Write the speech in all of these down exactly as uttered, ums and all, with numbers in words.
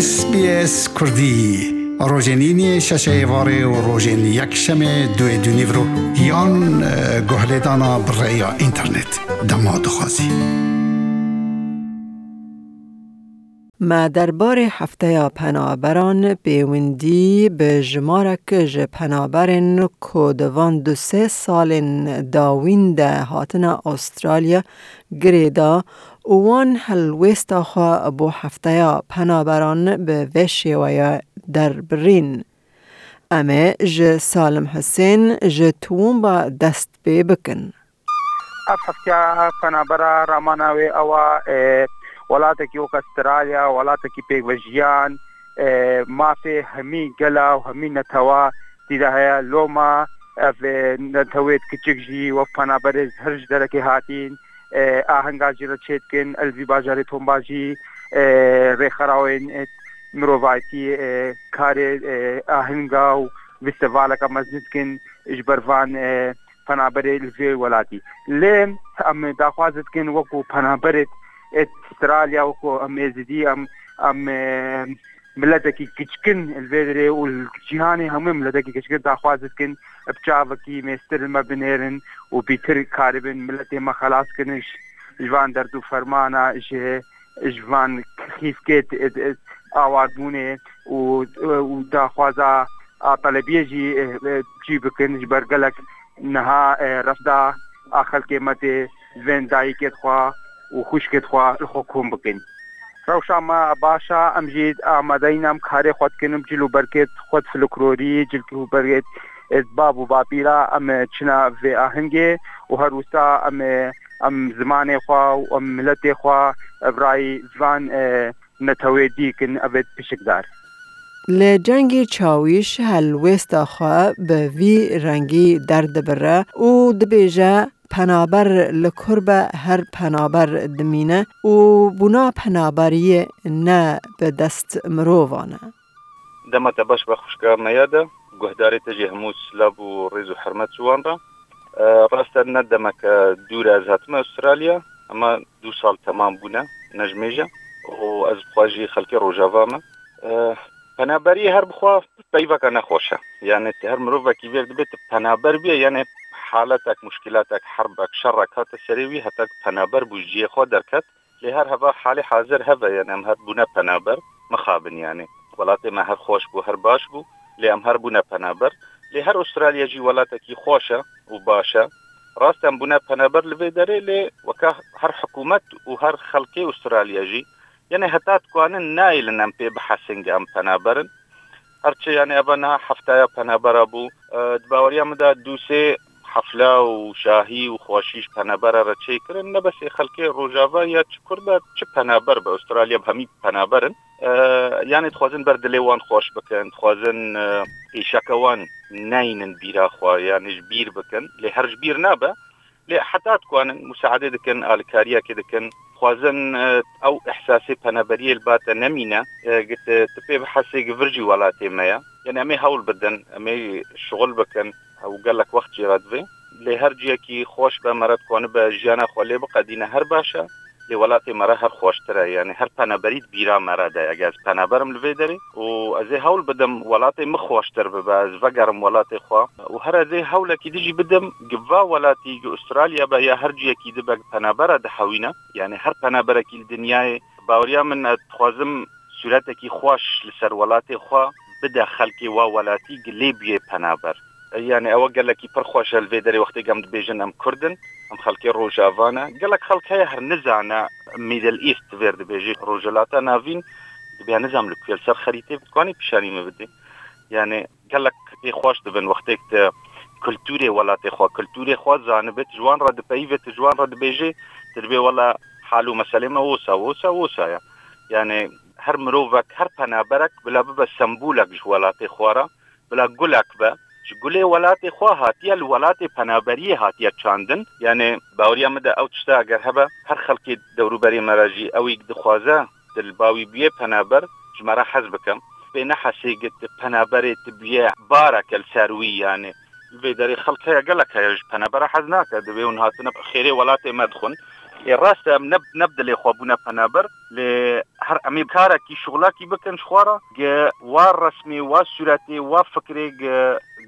S B S Kurdî, rojên îniyê şeşê êvarê û rojên yekşemê duê dûnîvro yan, e, guhlêdana bi rêya înternet. Dema dixwazî. Me derbarê hefteya penaberan pêwendî bi jimarek ji penaberên ku di van du sê salên dawîn de hatine Astralya girê da û wan helwêsta xwe bo hefteya penaberan bi vê şêweye derbirîn. Em ê ji Salim Husên ji Tûmba dest pê bikin. Ev hefteya penabera ramana wê ew a, e, welatekî wek Astralya, welatekî pêkvejiyan, e, mafê hemî gela û hemî netewa tî de heye. Loma ev, e, netewêt kiçik jî wek penaberê her ji derekê hatîn, e, ahenga jî re çêdikin, el vî bajarê Tomba jî, e, rêxerawên, e, mirovayetî, e, karê, e, ahenga û festîvaleke mezin dikin ji ber van, e, penaberê li vê welatî. Lê em daxwaz dikin wekû penaberê, e, Astralya, wekû em Êzidî, em, em, e, miletekî kiçkin li vê derê û li cîhanê hemû miletekî kiçkin daxwaz dikin bi çavekî mêstir li me binêrin û bîtir karibin miletê me xelas kirin ji, ji van derd û fermana, ji, ji van xîfkê, e, e, awarbûnê û, û daxwaza a telebiyê jî, e, e, cî bikin ji ber gelek niha, e, refda a xelkê me tê vên dayikê xwe û xwişkê xwe li xwe kom bikin. Rewşa me baş e, em jî amadeyî ne, em karê xwe dikin, em cil û bergê xwe di folklorî, cil û bergê, e, bab û bapîra em, e, çine vê ahengê û her wisa em, e, em zimanê xwe û em miletê xwe, e, bi rayî van, e, netewê dî kin, ev ê pişikdar. Li cengê çawîş helwêsta xwe bi vî rengî derdibire û dibêje, penaber li kur be her penaber dimîne û bûna penaberiyê ne bi dest mirovan e. Dema te baş be xwişka me ya de, guhdarê te jî hemû silav û rêz û hurmet ji wan re. E, rast e, ne demeke dûr e ez hatime Astralya, ama du sal temam bûne, ne ji mêj e. Û ez bi xwe jî xelkê Rojava me. E, penaberiyê her bi xwe peyveke nexweş e. Yani her mirovekî vêr dibe tu penaber bûye, yani haletek, muşkilatek, herbek, şerrek hate serê wî, heta ku penaber bû ji cihê xwe derket. Lê her heva halê hazir heve, yani em her bûne penaber, mixabin yani. Welatê me her xweş bû, her baş bû, lê em her bûne penaber. Lê her Astralya jî welatekî xweş e û baş e. Rast em bûne penaber li vê derê, lê weke her hikûmet û her xelkê Astralya jî, yani heta dikwanin nayêlin em pê bihesin ge em penaber in. Her çi, yani, eva niha heftaya penabera bû. E, di baweriya min de du sê hefla û şahî û xweşî ji penabera re çêkirin. Ne besê xelkê Rojava ya çi Kurd e, çi penaber bi Astralya bi hemî penaber in. E, yani, dixwazin ber dilê wan xweş bikin, dixwazin, e, pêşeke wan neynin bîra xwe, yani, ji bîr bikin. Lê her ji bîr nabe. Lê heta dikwanin musaedê dikin, alikariyekê dikin, dixwazin, e, ew ihsasê penaberiyê li ba te nemîne, e, gi tu, tu pê bihesê gi vir jî welatê me ye. Yani em ê hewl bidin, em ê şixul bikin, ew gelek wext jê re divê. Lê her ciyekî xweş be, me re dikwanibe jiyana xwe lê biqedîne, her baş e. Lê welatê me re her xweştir e, yani her penaberî di bîra me re de ye. Eger ez penaber im li vê derê û ez ê hewl bidim welatê min xweştir bibe, ez vegerim welatê xwe û her ez ê hewlekî din jî bidim, gi va welatî, gi Astralya be ya her ciyekî dibe, gi penabera dihewîne, yani her penaberekî li dinyayê, baweriya min, ez dixwazim sûretekî xweş li ser welatê xwe bide xelkê wa welatî, gi lê bûyê penaber. Yani ew gelekî pir xweş e li vê derê wextê em dibêjin em Kurd in, em xelkê Rojava ne. Gelek xelk heye her nizane Middle East vêr dibêjê, Rojhilata Navîn, dibê nizam li ku ye, li ser xerîtê bi dikwanî pîşanî min bidî. Yani gelek pê xweş dibin wextê tu kulturê welatê xwe, kulturê xwe zanibê, tu ji wan re dipeyivê, tu ji wan re dibêjê, tu dibê wela hal û meselê me wisa, wisa, wisa ye. Yani her mirovek, her penaberek bila bibe sembolek ji welatê xwe re, bila gulek be, ji gulê welatê xwe hatiye, li welatê penaberiyê hatiye çandin. Yani baweriya min de ew tişta eger hebe, her xelkê dewrûberê me re jî ewî dixwaze, tu li ba wî bûyê penaber, ji me re hez bike. Pê nehesê gi tu penaberê tu bûyê bareke li ser wî, yani. Li vê derê xelk heye, gelek heye ji penabera hez nake, divê hûn hatine xêrê welatê me dixwin. Ê rast e, em ne, ne bi dilê xwe bûne penaber, lê her em ê karekî, şixulekî bikin ji xwe re, gi wa resmê, wa sûretê, wa fikrê, gi,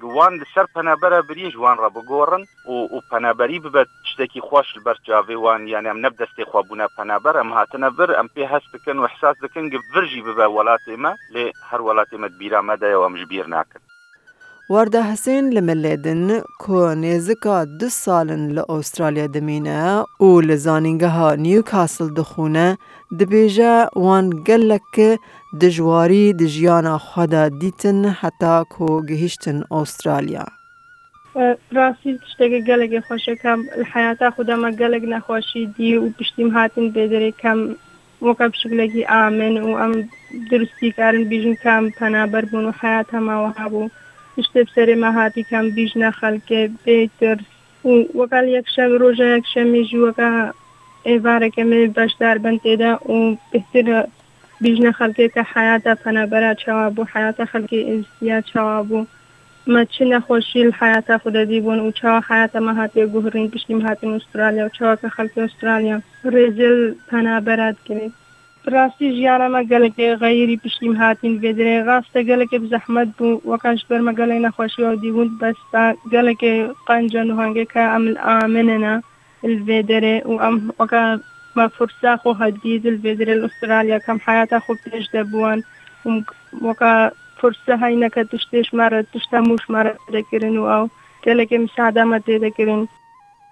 gi wan li ser penabera biriyê ji wan re bigorin û, û penaberî bibe tiştekî xweş li ber çavê wan. Yani em ne bi destê xwe bûne penaber, em hatine vir, em pê hest dikin û ihsas dikin, gi vir jî bibe welatê me, lê her welatê me di bîra me de ye û em ji bîr nakin. Warda Hisên li milê din ku nêzika du sal in li Astralya dimîne û li zanîngeha Newcastle dixwîne, dibêje wan gelek dijwarî di jiyana xwe de dîtin heta ku gihîştin Astralya. Rastî tiştekî gelekî xweş e, ka li heyata xwe de me gelek nexweşî dî û piştî em hatin vê derê, ka em weke bi şiklekî amin û em durustî karin bîjin ka em penaber bûn û heyata me wiha bû. Tiştê bi serê me hatî ka em bîjine xelkê bê tirs. Û weke li yekşem, roja yekşemê jî weke êvareke me beşdar bin tê de û bêhtir bîjine xelkê ke heyata penabera çawa bû, heyata xelkê êzidiya çawa bû. Me çi nexweşî li heyata xwe de dîbûn û çawa heyata me hatiye guhirîn, piştî me hatin Astralya û çawa ke xelkê Astralya rêzê li penabera dikirin. Bi rastî jiyana me gelekê xeyirî piştî me hatîn vê derê. Rast e, gelekê bi zehmet bû, weka ji ber me gelek nexweşî ew dîbûn, bes ta gelekê qenc e, nuhangê ke em li amin ne li vê derê û em weke me firsa xwe hedî li vê derê li Astralya, ke em heyata xwe pêş de biwan û weke firsa heyneke tiştê ji me re, tişta mû ji me re têdekirin û ew gelekê misada me têdekirin.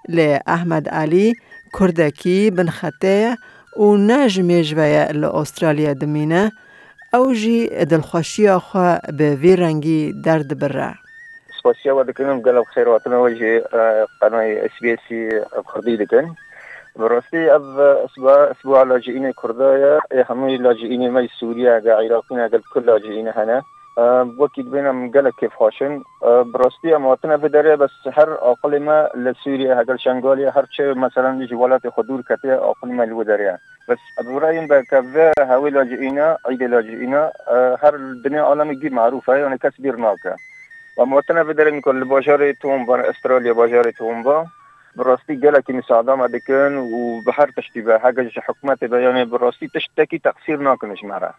Lê Ehmed Elî kurdekî binxetê ye û ne ji mêj ve ye li Astralya dimîne, ew jî dilxweşiya xwe bi vî rengî derdibire. Spasiya we dikin, gelek xêr hatina we ji, e, qenayê S B S bi Kurdî dikin. Bi rastî ev, e, isba, isbûa lacîînê Kurda ye, ê hemû lacîînê me yê Sûriye, ge Iraqî ne, gel kul lacîînê hene. E, wekî dibên em gelek kêfxweş in. E, bi rastî em hatine vê derê, bes her aqilê me li Sûriye, hegel Şengalê, her çi, meselen, ji welatê xwe dûr ketiye, aqilê me li wê derê ye. Bes bi rayên be ke vê hewê lacîîna, îdê lacîîna, e, her dinê alemê gî marûf e, yani kes bîr nake. Em hatine vê derê, nîko li bajarê Toowoomba, Australya bajarê Toowoomba, bi rastî gelekî misada me dikin û bi her tiştî be, heke ji hikûmetê be, yani bi rastî tiştekî teqsîr nakin ji me re.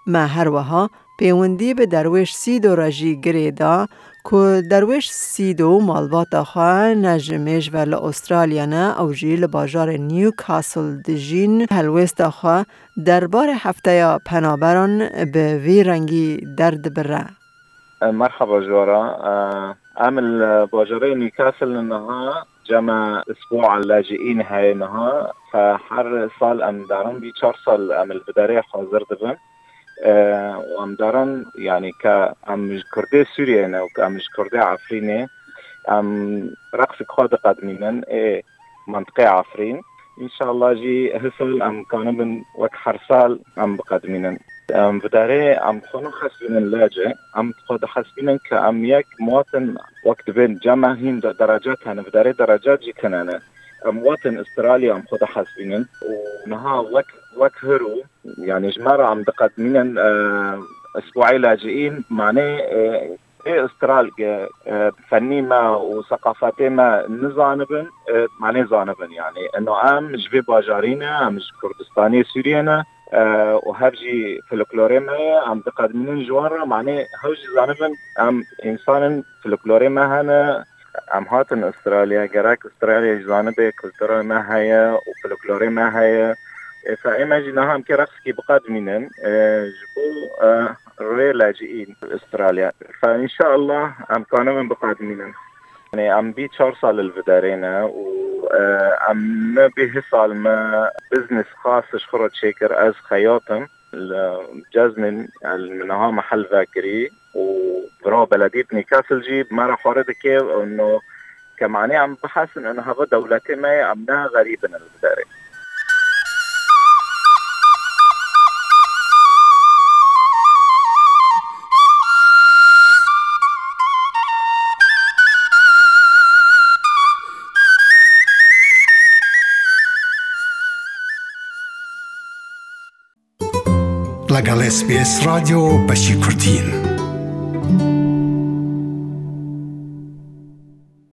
Me her wiha pêwendî bi Derwêş Sîdo re jî girê da ku Derwêş Sîdo malbata xwe ne ji mêj ve li Astralya ne, ew jî li bajarê Newcastle dijîn, helwêsta xwe derbarê hefteya penaberan bi vî rengî derdibire. Merhaba ji we re. Em li bajarê Newcastle niha cema isbûa lacîîn heye niha. Fe her sal em darin vî çar sal em li vê derê hazir dibin. E, û em darin, yani, ke em ji Kurdê Sûriyê ne û ke em ji Kurdê Efrînê, em reqsek xwe diqedimînin ê mentiqê Efrîn. Înşallah jî hisal em kanibin wek her sal em biqedimînin. Em vê derê em xwe nahesibînin lacê, em xwe dihesibînin ke em yek muwatin wek dibên cema hîn de-, derecet hene, vê derê derecet jî tune ne. Em muwatin Australya em xwe dihesibînin û niha wek, wek hiro, yani ji me re em diqedimînin, e, isbuayê lacîîn, manê, e, ê Australya, e, fennî me û seqafetê me nizanibin, e, me nêzanibin. Yani, ino em ji vê bajarî ne, em ji Kurdistanê Sûriyê ne, e, û hev jî folklorê me ye, em diqedimînin ji wan re, manê hew jî zanibin, em însan in, folklorê me hene, em hatin Australya, gerek Australya jî zanibe kultura me heye û folklorê me heye. E, fe ê me jî niha em kê reqsekî biqedimînin, e, ji bo, e, rê lacîî Australya. Fe înşallah em kanibin biqedimînin. Yani em bî çar sal li vê derê ne û, e, em me bî hisal me biznes xas ji xwe re çêkir, ez xeyat im. Li ceznin, yani, niha me hel vekirî û bira beledî Newcastle jî me re xware dike, no ke manê em bihesin, in hava dewletê me ye, em ne xerîb in li vê derê. لەگەڵ S B S رادیۆ بەشی کوردین.